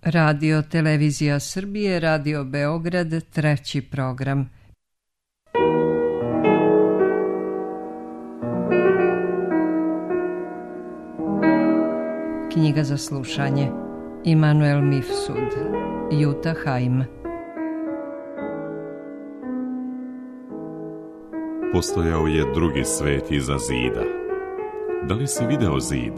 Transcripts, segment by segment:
Radio Televizija Srbije, Radio Beograd, treći program. Knjiga za slušanje. Immanuel Mifsud, Jutta Heim. Postojao je drugi svet iza zida. Da li si video zid?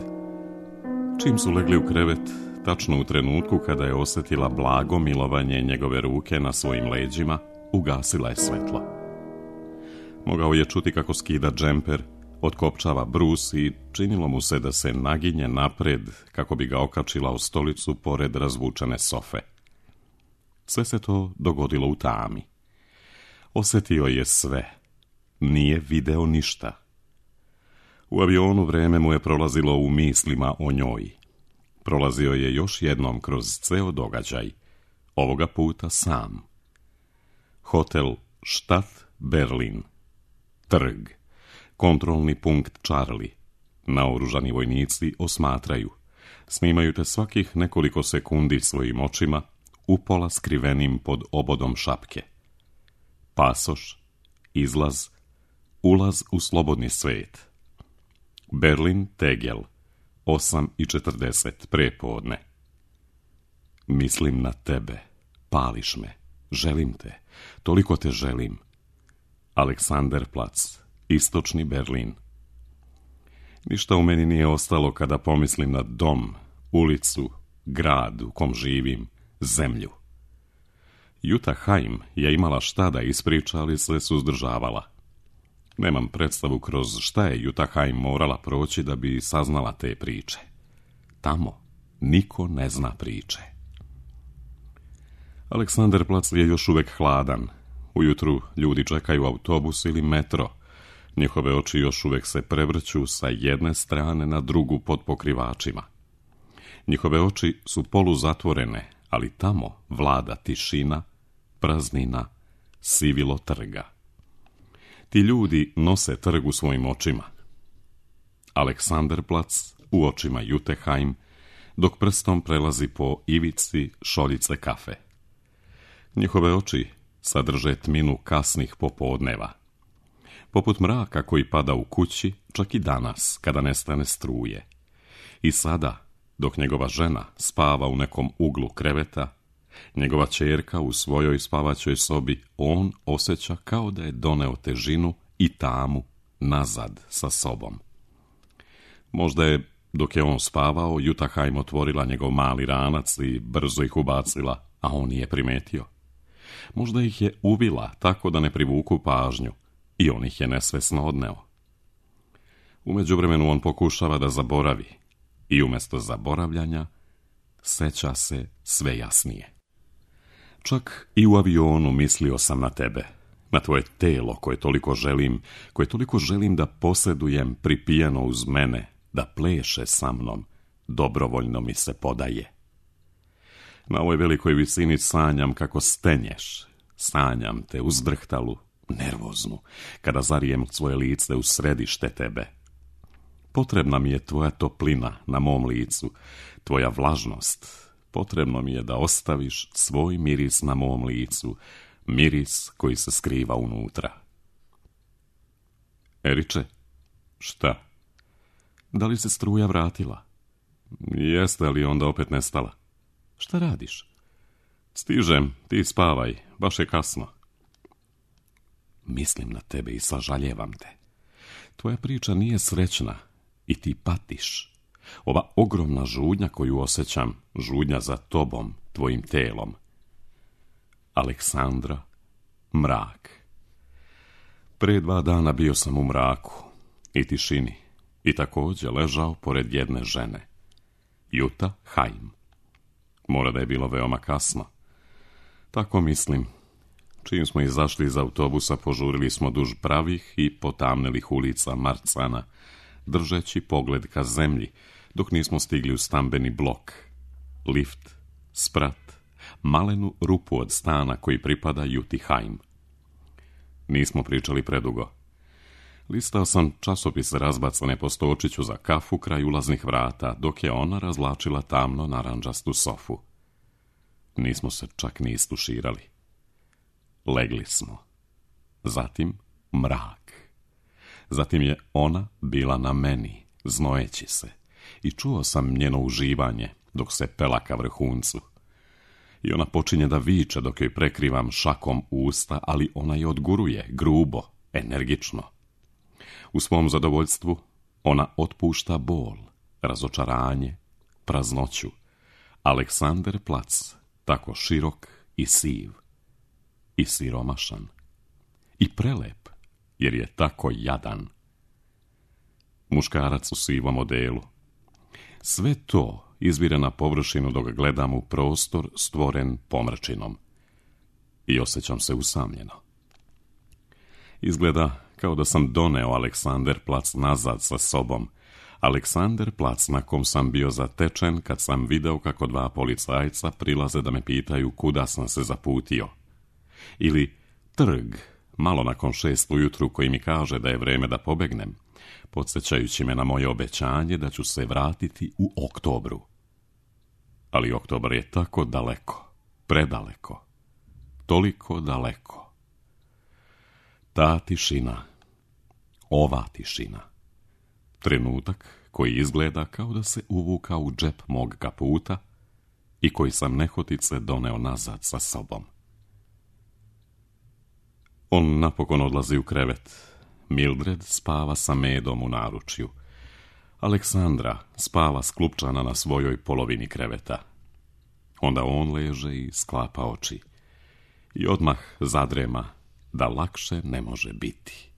Čim su legli u krevet, tačno u trenutku kada je osjetila blago milovanje njegove ruke na svojim leđima, ugasila je svetlo. Mogao je čuti kako skida džemper, otkopčava brus i činilo mu se da se naginje napred kako bi ga okačila u stolicu pored razvučene sofe. Sve se to dogodilo u tami. Osjetio je sve. Nije video ništa. U avionu vreme mu je prolazilo u mislima o njoj. Prolazio je još jednom kroz ceo događaj, ovoga puta sam. Hotel Stadt Berlin. Trg. Kontrolni punkt Charlie. Naoružani vojnici osmatraju. Snimaju te svakih nekoliko sekundi svojim očima, upola skrivenim pod obodom šapke. Pasoš, izlaz, ulaz u slobodni svet. Berlin Tegel, 8:40 prepodne. Mislim na tebe, pališ me, želim te, toliko te želim. Aleksanderplatz, istočni Berlin. Ništa u meni nije ostalo kada pomislim na dom, ulicu, grad u kom živim, zemlju. Jutta Heim je imala šta da ispriča, ali se suzdržavala. Nemam predstavu kroz šta je Jutta Heim morala proći da bi saznala te priče. Tamo niko ne zna priče. Aleksanderplatz je još uvek hladan. Ujutru ljudi čekaju autobus ili metro. Njihove oči još uvek se prevrću sa jedne strane na drugu pod pokrivačima. Njihove oči su poluzatvorene, ali tamo vlada tišina, praznina, sivilo trga. Ti ljudi nose trg u svojim očima. Aleksanderplatz u očima Jutte Heim, dok prstom prelazi po ivici šoljice kafe. Njihove oči sadrže tminu kasnih popodneva. Poput mraka koji pada u kući, čak i danas, kada nestane struje. I sada, dok njegova žena spava u nekom uglu kreveta, njegova ćerka u svojoj spavaćoj sobi, on osjeća kao da je doneo težinu i tamu nazad sa sobom. Možda je, dok je on spavao, Jutta Heim otvorila njegov mali ranac i brzo ih ubacila, a on nije primetio. Možda ih je ubila tako da ne privuku pažnju i on ih je nesvesno odneo. U međuvremenu on pokušava da zaboravi i umjesto zaboravljanja seća se sve jasnije. Čak i u avionu mislio sam na tebe, na tvoje telo koje toliko želim da posjedujem pripijano uz mene, da pleše sa mnom, dobrovoljno mi se podaje. Na ovoj velikoj visini sanjam kako stenješ, sanjam te uzdrhtalu, nervoznu, kada zarijem svoje lice u središte tebe. Potrebna mi je tvoja toplina na mom licu, tvoja vlažnost. Potrebno mi je da ostaviš svoj miris na mom licu, miris koji se skriva unutra. Eriče, šta? Da li se struja vratila? Jeste li onda opet nestala? Šta radiš? Stižem, ti spavaj, baš je kasno. Mislim na tebe i sažaljevam te. Tvoja priča nije srećna i ti patiš. Ova ogromna žudnja koju osjećam, žudnja za tobom, tvojim telom. Aleksandra, mrak. Pre 2 dana bio sam u mraku i tišini i također ležao pored jedne žene. Jutta Heim. Mora da je bilo veoma kasno. Tako mislim. Čim smo izašli iz autobusa, požurili smo duž pravih i potamnelih ulica Marcana, držeći pogled ka zemlji, dok nismo stigli u stambeni blok. Lift, sprat, malenu rupu od stana koji pripada Jutti Heim. Nismo pričali predugo. Listao sam časopise razbacane po stočiću za kafu kraj ulaznih vrata, dok je ona razvlačila tamno narandžastu sofu. Nismo se čak ni istuširali. Legli smo. Zatim mrak. Zatim je ona bila na meni, znojeći se, i čuo sam njeno uživanje dok se pela ka vrhuncu. I ona počinje da viče dok joj prekrivam šakom usta, ali ona je odguruje, grubo, energično. U svom zadovoljstvu ona otpušta bol, razočaranje, praznoću. Aleksanderplatz, tako širok i siv, i siromašan, i prelep, jer je tako jadan. Muškarac u sivom odelu. Sve to izvire na površinu dok gledam u prostor stvoren pomračinom. I osjećam se usamljeno. Izgleda kao da sam doneo Aleksanderplatz nazad sa sobom. Aleksanderplatz na kom sam bio zatečen kad sam video kako 2 policajca prilaze da me pitaju kuda sam se zaputio. Ili trg, malo nakon 6 ujutru, koji mi kaže da je vreme da pobegnem, podsjećajući me na moje obećanje da ću se vratiti u oktobru. Ali oktobar je tako daleko, predaleko, toliko daleko. Ta tišina, ova tišina, trenutak koji izgleda kao da se uvuka u džep mog kaputa i koji sam nehotice doneo nazad sa sobom. On napokon odlazi u krevet. Mildred spava sa Medom u naručju. Aleksandra spava sklupčana na svojoj polovini kreveta. Onda on leže i sklapa oči. I odmah zadrema da lakše ne može biti.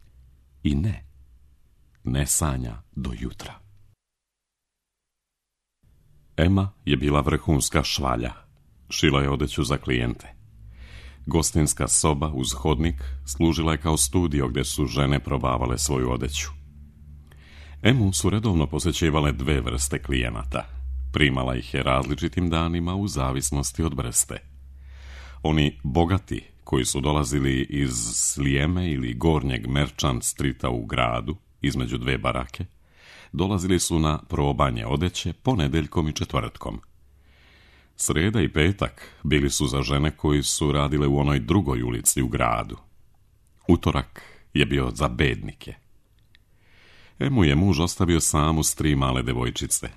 I ne sanja do jutra. Ema je bila vrhunska švalja. Šila je odeću za klijente. Gostinska soba uz hodnik služila je kao studio gdje su žene probavale svoju odeću. Emu su redovno posjećivale 2 vrste klijenata. Primala ih je različitim danima u zavisnosti od vrste. Oni bogati, koji su dolazili iz Slijeme ili Gornjeg Merchant Streeta u gradu, između 2 barake, dolazili su na probanje odeće ponedjeljkom i četvrtkom. Sreda i petak bili su za žene koji su radile u onoj drugoj ulici u gradu. Utorak je bio za bednike. Emu je muž ostavio samu s 3 male devojčice.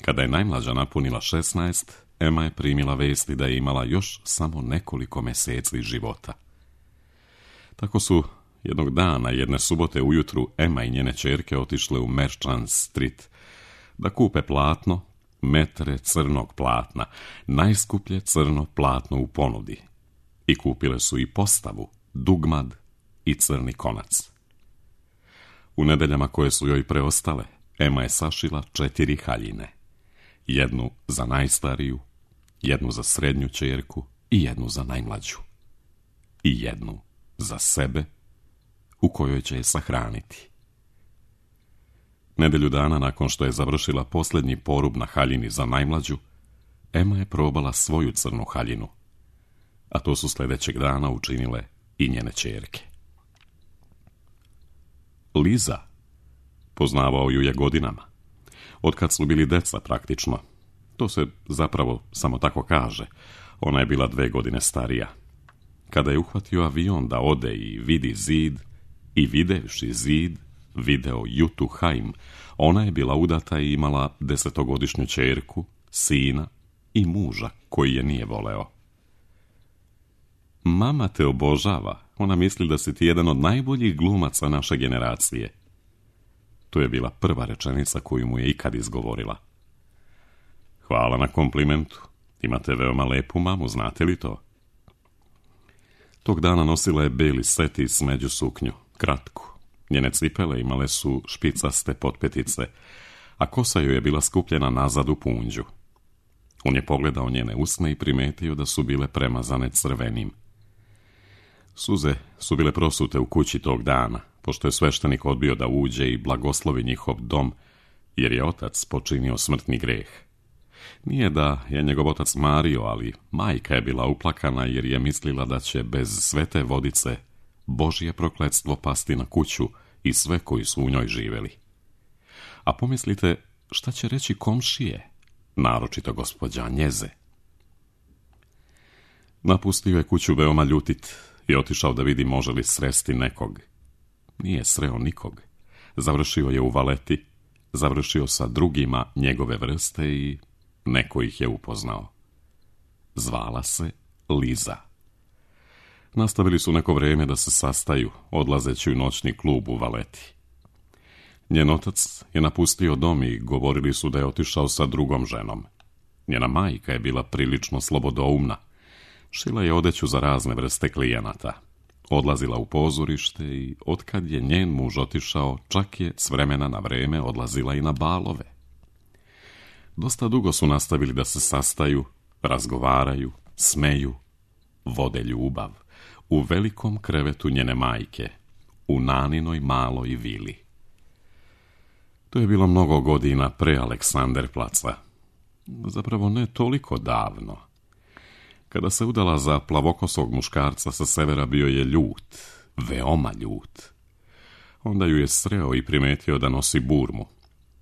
Kada je najmlađa napunila 16, Ema je primila vesti da je imala još samo nekoliko mjeseci života. Tako su jednog dana, jedne subote ujutru, Ema i njene ćerke otišle u Merchant Street da kupe platno, metre crnog platna, najskuplje crno platno u ponudi. I kupile su i postavu, dugmad i crni konac. U nedeljama koje su joj preostale, Ema je sašila 4 haljine. Jednu za najstariju, jednu za srednju ćerku i jednu za najmlađu. I jednu za sebe, u kojoj će je sahraniti. Nedelju dana nakon što je završila posljednji porub na haljini za najmlađu, Ema je probala svoju crnu haljinu, a to su sljedećeg dana učinile i njene ćerke. Liza, poznavao ju je godinama, otkad su bili deca praktično. To se zapravo samo tako kaže, ona je bila 2 godine starija. Kada je uhvatio avion da ode i vidi zid, i videvši zid, video Jutu Haim, ona je bila udata i imala 10-godišnju ćerku, sina i muža koji je nije voleo. Mama te obožava, ona misli da si ti jedan od najboljih glumaca naše generacije. To je bila prva rečenica koju mu je ikad izgovorila. Hvala na komplimentu, imate veoma lepu mamu, znate li to? Tog dana nosila je beli set i smeđu suknju, kratku. Njene cipele imale su špicaste potpetice, a kosa joj je bila skupljena nazad u punđu. On je pogledao njene usne i primetio da su bile premazane crvenim. Suze su bile prosute u kući tog dana, pošto je sveštenik odbio da uđe i blagoslovi njihov dom, jer je otac počinio smrtni greh. Nije da je njegov otac mario, ali majka je bila uplakana jer je mislila da će bez svete vodice Božje prokletstvo pasti na kuću i sve koji su u njoj živjeli. A pomislite, šta će reći komšije, naročito gospođa Njeze? Napustio je kuću veoma ljutit i otišao da vidi može li sresti nekog. Nije sreo nikog. Završio je u Valeti, završio sa drugima njegove vrste i neko ih je upoznao. Zvala se Liza. Nastavili su neko vrijeme da se sastaju, odlazeći u noćni klub u Valeti. Njen otac je napustio dom i govorili su da je otišao sa drugom ženom. Njena majka je bila prilično slobodoumna. Šila je odeću za razne vrste klijenata. Odlazila u pozorište i otkad je njen muž otišao, čak je s vremena na vrijeme odlazila i na balove. Dosta dugo su nastavili da se sastaju, razgovaraju, smeju, vode ljubav u velikom krevetu njene majke, u Naninoj maloj vili. To je bilo mnogo godina pre Aleksanderplaca. Zapravo ne toliko davno. Kada se udala za plavokosog muškarca sa severa, bio je ljut, veoma ljut. Onda ju je sreo i primetio da nosi burmu.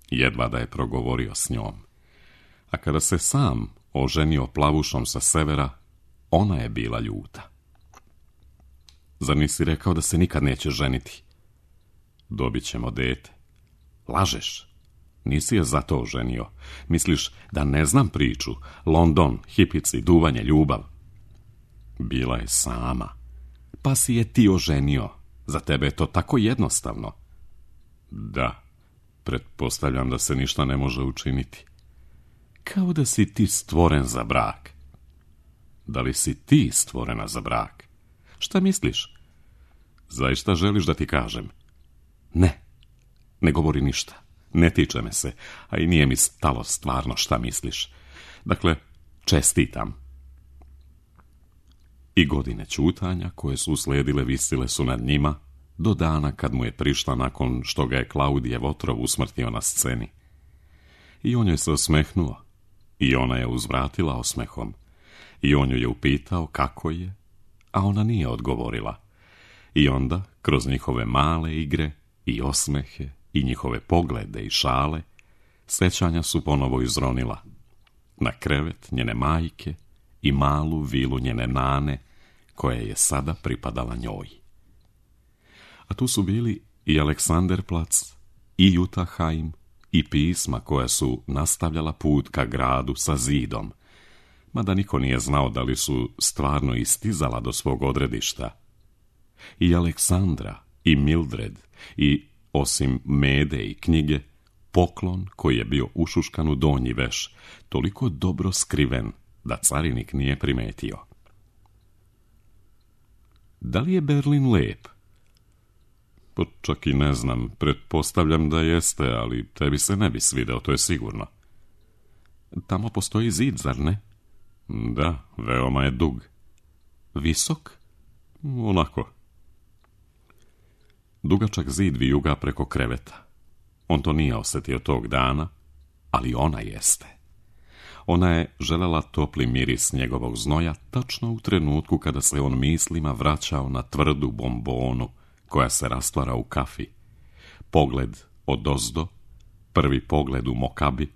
Jedva da je progovorio s njom. A kada se sam oženio plavušom sa severa, ona je bila ljuta. Zar nisi rekao da se nikad neće ženiti? Dobit ćemo dete. Lažeš. Nisi je zato oženio. Misliš da ne znam priču? London, hipici, duvanje, ljubav. Bila je sama. Pa si je ti oženio. Za tebe je to tako jednostavno. Da, pretpostavljam da se ništa ne može učiniti. Kao da si ti stvoren za brak. Da li si ti stvorena za brak? Šta misliš? Zaista želiš da ti kažem? Ne govori ništa. Ne tiče me se, a i nije mi stalo stvarno šta misliš. Dakle, čestitam. I godine ćutanja koje su uslijedile visile su nad njima do dana kad mu je prišla nakon što ga je Klaudijev otrov usmrtio na sceni. I on joj se osmehnuo. I ona je uzvratila osmehom. I on ju je upitao kako je, a ona nije odgovorila. I onda, kroz njihove male igre i osmehe i njihove poglede i šale, sećanja su ponovo izronila. Na krevet njene majke i malu vilu njene nane, koja je sada pripadala njoj. A tu su bili i Aleksanderplac, i Jutahheim, i pisma koja su nastavljala put ka gradu sa zidom, mada niko nije znao da li su stvarno istizala do svog odredišta. I Aleksandra, i Mildred, i, osim mede i knjige, poklon koji je bio ušuškan u donji veš, toliko dobro skriven da carinik nije primetio. Da li je Berlin lep? Pa čak i ne znam, pretpostavljam da jeste, ali tebi se ne bi svideo, to je sigurno. Tamo postoji zid, zar ne? Da, veoma je dug. Visok? Onako. Dugačak zid vijuga preko kreveta. On to nije osjetio tog dana, ali ona jeste. Ona je želela topli miris njegovog znoja tačno u trenutku kada se on mislima vraćao na tvrdu bombonu koja se rastvara u kafi. Pogled odozdo, prvi pogled u Mokabi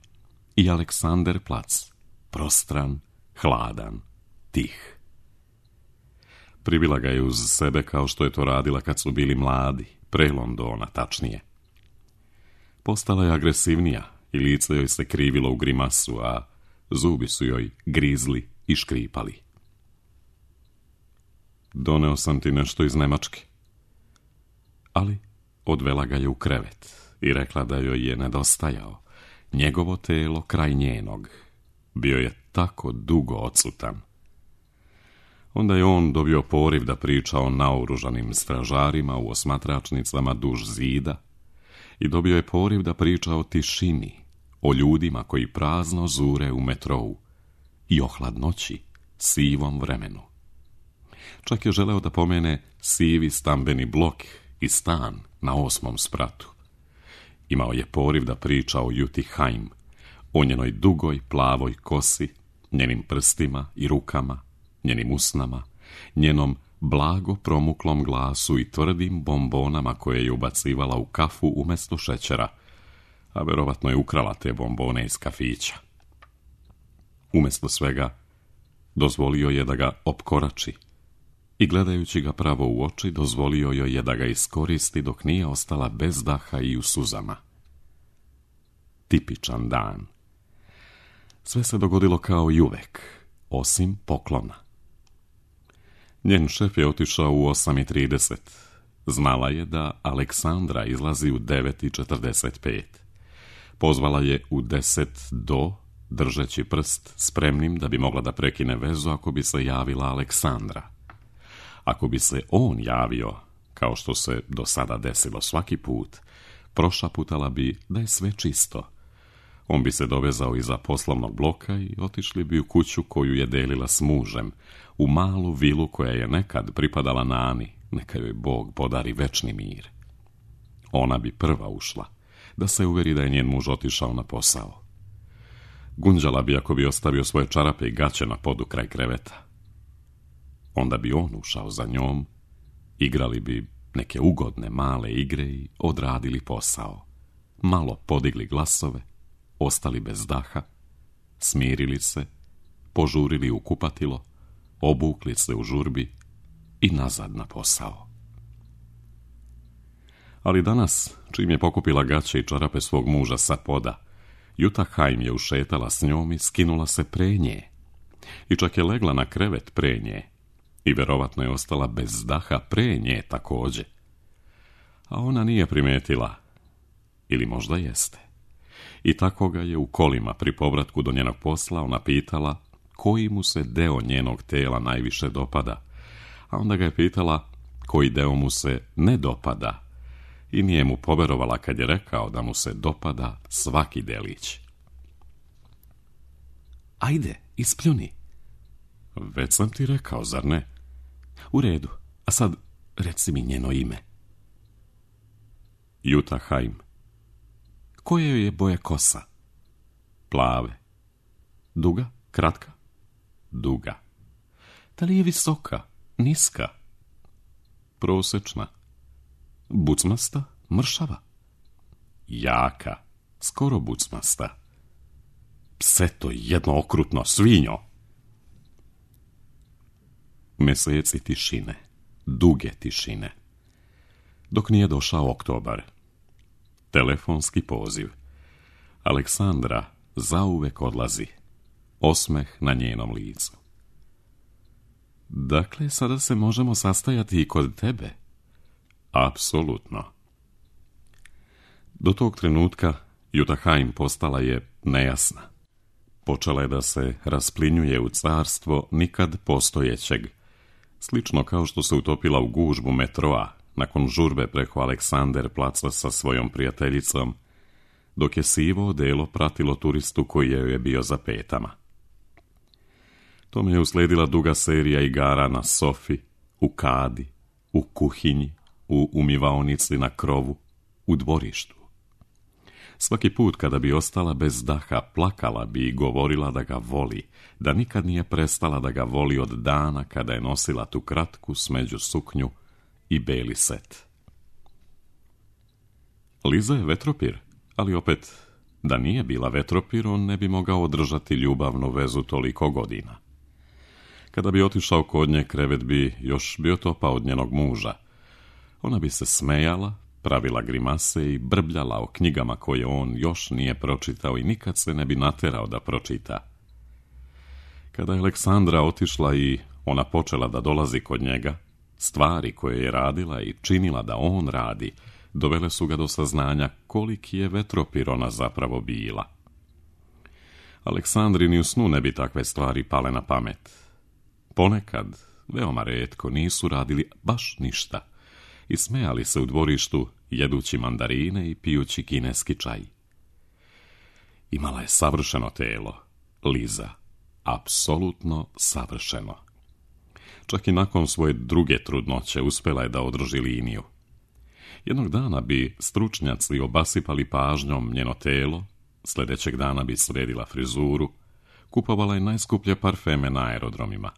i Aleksanderplac, prostran, hladan, tih. Pribila ga je uz sebe kao što je to radila kad su bili mladi, pre Londona tačnije. Postala je agresivnija i lice joj se krivilo u grimasu, a zubi su joj grizli i škripali. Doneo sam ti nešto iz Nemačke. Ali odvela ga je u krevet i rekla da joj je nedostajao njegovo telo kraj njenog. Bio je tako dugo odsutan. Onda je on dobio poriv da priča o naoružanim stražarima u osmatračnicama duž zida i dobio je poriv da priča o tišini, o ljudima koji prazno zure u metrou i o hladnoći, sivom vremenu. Čak je želeo da pomene sivi stambeni blok i stan na 8. spratu. Imao je poriv da priča o Jutahheim, o njenoj dugoj plavoj kosi, njenim prstima i rukama, njenim usnama, njenom blago promuklom glasu i tvrdim bombonama koje je ubacivala u kafu umjesto šećera, a verovatno je ukrala te bombone iz kafića. Umjesto svega, dozvolio je da ga opkorači i gledajući ga pravo u oči, dozvolio joj je da ga iskoristi dok nije ostala bez daha i u suzama. Tipičan dan. Sve se dogodilo kao i uvek, osim poklona. Njen šef je otišao u 8:30. Znala je da Aleksandra izlazi u 9:45. Pozvala je u 10 do, držeći prst spremnim da bi mogla da prekine vezu ako bi se javila Aleksandra. Ako bi se on javio, kao što se do sada desilo svaki put, prošaputala bi da je sve čisto. On bi se dovezao iza poslovnog bloka i otišli bi u kuću koju je delila s mužem, u malu vilu koja je nekad pripadala Nani, neka joj Bog podari večni mir. Ona bi prva ušla, da se uveri da je njen muž otišao na posao. Gunđala bi ako bi ostavio svoje čarape i gaće na podu kraj kreveta. Onda bi on ušao za njom, igrali bi neke ugodne male igre i odradili posao. Malo podigli glasove, ostali bez daha, smirili se, požurili u kupatilo, obukli se u žurbi i nazad na posao. Ali danas, čim je pokupila gaće i čarape svog muža sa poda, Jutta Heim je ušetala s njom i skinula se pre nje. I čak je legla na krevet pre nje. I verovatno je ostala bez daha pre nje također. A ona nije primetila. Ili možda jeste. I tako ga je u kolima pri povratku do njenog posla ona pitala koji mu se deo njenog tela najviše dopada. A onda ga je pitala koji deo mu se ne dopada. I nije mu poverovala kad je rekao da mu se dopada svaki delić. Ajde, ispljuni. Već sam ti rekao, zar ne? U redu, a sad reci mi njeno ime. Jutta Heim. Koje joj je boje kosa? Plave. Duga? Kratka? Duga. Da li je visoka? Niska? Prosečna? Bucmasta? Mršava? Jaka? Skoro bucmasta? Pseto jedno okrutno, svinjo! Meseci tišine, duge tišine. Dok nije došao oktobar. Telefonski poziv. Aleksandra zauvek odlazi. Osmeh na njenom licu. Dakle, sada se možemo sastajati i kod tebe? Apsolutno. Do tog trenutka Jutta Heim postala je nejasna. Počela je da se rasplinjuje u carstvo nikad postojećeg, slično kao što se utopila u gužbu metroa nakon žurbe preko Aleksander placa sa svojom prijateljicom, dok je sivo odelo pratilo turistu koji je bio za petama. Tome je usledila duga serija igara na sofi, u kadi, u kuhinji, u umivaonici na krovu, u dvorištu. Svaki put kada bi ostala bez daha, plakala bi i govorila da ga voli, da nikad nije prestala da ga voli od dana kada je nosila tu kratku smeđu suknju i beli set. Liza je vetropir, ali opet, da nije bila vetropir, on ne bi mogao održati ljubavnu vezu toliko godina. Kada bi otišao kod nje, krevet bi još bio topao od njenog muža. Ona bi se smejala, pravila grimase i brbljala o knjigama koje on još nije pročitao i nikad se ne bi naterao da pročita. Kada je Aleksandra otišla i ona počela da dolazi kod njega, stvari koje je radila i činila da on radi, dovele su ga do saznanja koliki je vetropir ona zapravo bila. Aleksandri ni u snu ne bi takve stvari pale na pamet. Ponekad, veoma retko, nisu radili baš ništa i smejali se u dvorištu, jedući mandarine i pijući kineski čaj. Imala je savršeno telo, Liza, apsolutno savršeno. Čak i nakon svoje druge trudnoće uspjela je da održi liniju. Jednog dana bi stručnjaci obasipali pažnjom njeno telo, sljedećeg dana bi sredila frizuru, kupovala je najskuplje parfeme na aerodromima.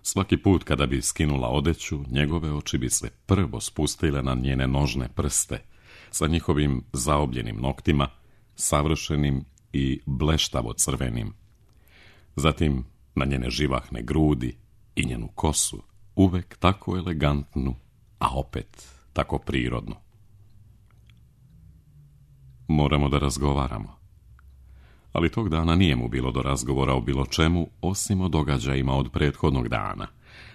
Svaki put kada bi skinula odeću, njegove oči bi se prvo spustile na njene nožne prste, sa njihovim zaobljenim noktima, savršenim i bleštavo crvenim. Zatim na njene živahne grudi i njenu kosu, uvek tako elegantnu, a opet tako prirodnu. Moramo da razgovaramo. Ali tog dana nije mu bilo do razgovora o bilo čemu, osim o događajima od prethodnog dana,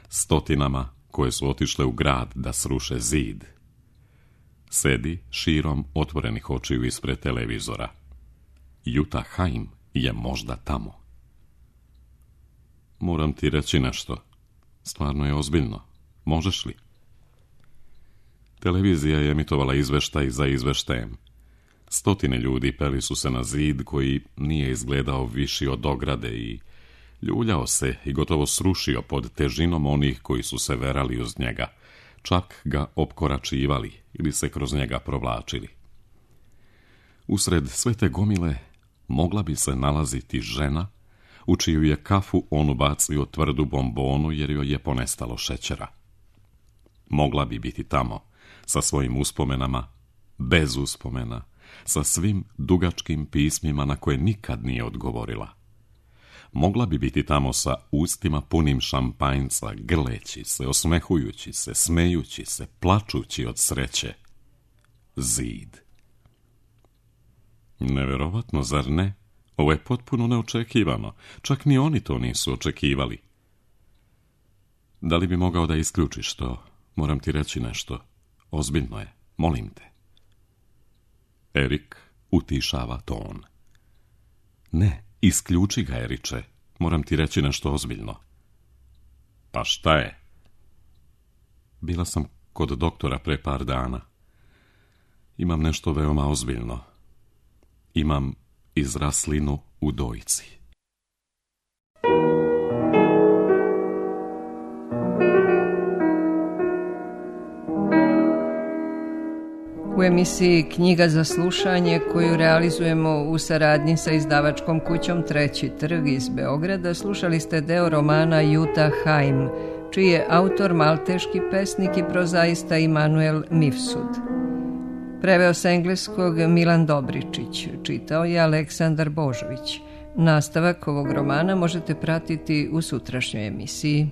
stotinama koje su otišle u grad da sruše zid. Sedi širom otvorenih očiju ispred televizora. Jutta Heim je možda tamo. Moram ti reći nešto. Stvarno je ozbiljno. Možeš li? Televizija je emitovala izveštaj za izveštajem. Stotine ljudi peli su se na zid koji nije izgledao viši od ograde i ljuljao se i gotovo srušio pod težinom onih koji su se verali uz njega, čak ga opkoračivali ili se kroz njega provlačili. Usred sve te gomile mogla bi se nalaziti žena u čiju je kafu on ubacio tvrdu bombonu jer joj je ponestalo šećera. Mogla bi biti tamo sa svojim uspomenama, bez uspomena, sa svim dugačkim pismima na koje nikad nije odgovorila. Mogla bi biti tamo sa ustima punim šampanjca, grleći se, osmehujući se, smejući se, plačući od sreće. Zid. Neverovatno, zar ne? Ovo je potpuno neočekivano. Čak ni oni to nisu očekivali. Da li bi mogao da isključiš to? Moram ti reći nešto. Ozbiljno je. Molim te. Erik utišava ton. Ne, isključi ga, Eriče. Moram ti reći nešto ozbiljno. Pa šta je? Bila sam kod doktora pre par dana. Imam nešto veoma ozbiljno. Imam izraslinu u dojci. U emisiji Knjiga za slušanje, koju realizujemo u saradnji sa izdavačkom kućom Treći trg iz Beograda, slušali ste deo romana Jutta Heim, čiji je autor malteški pesnik i prozaista Immanuel Mifsud. Preveo sa engleskog Milan Dobričić, čitao je Aleksandar Božović. Nastavak ovog romana možete pratiti u sutrašnjoj emisiji.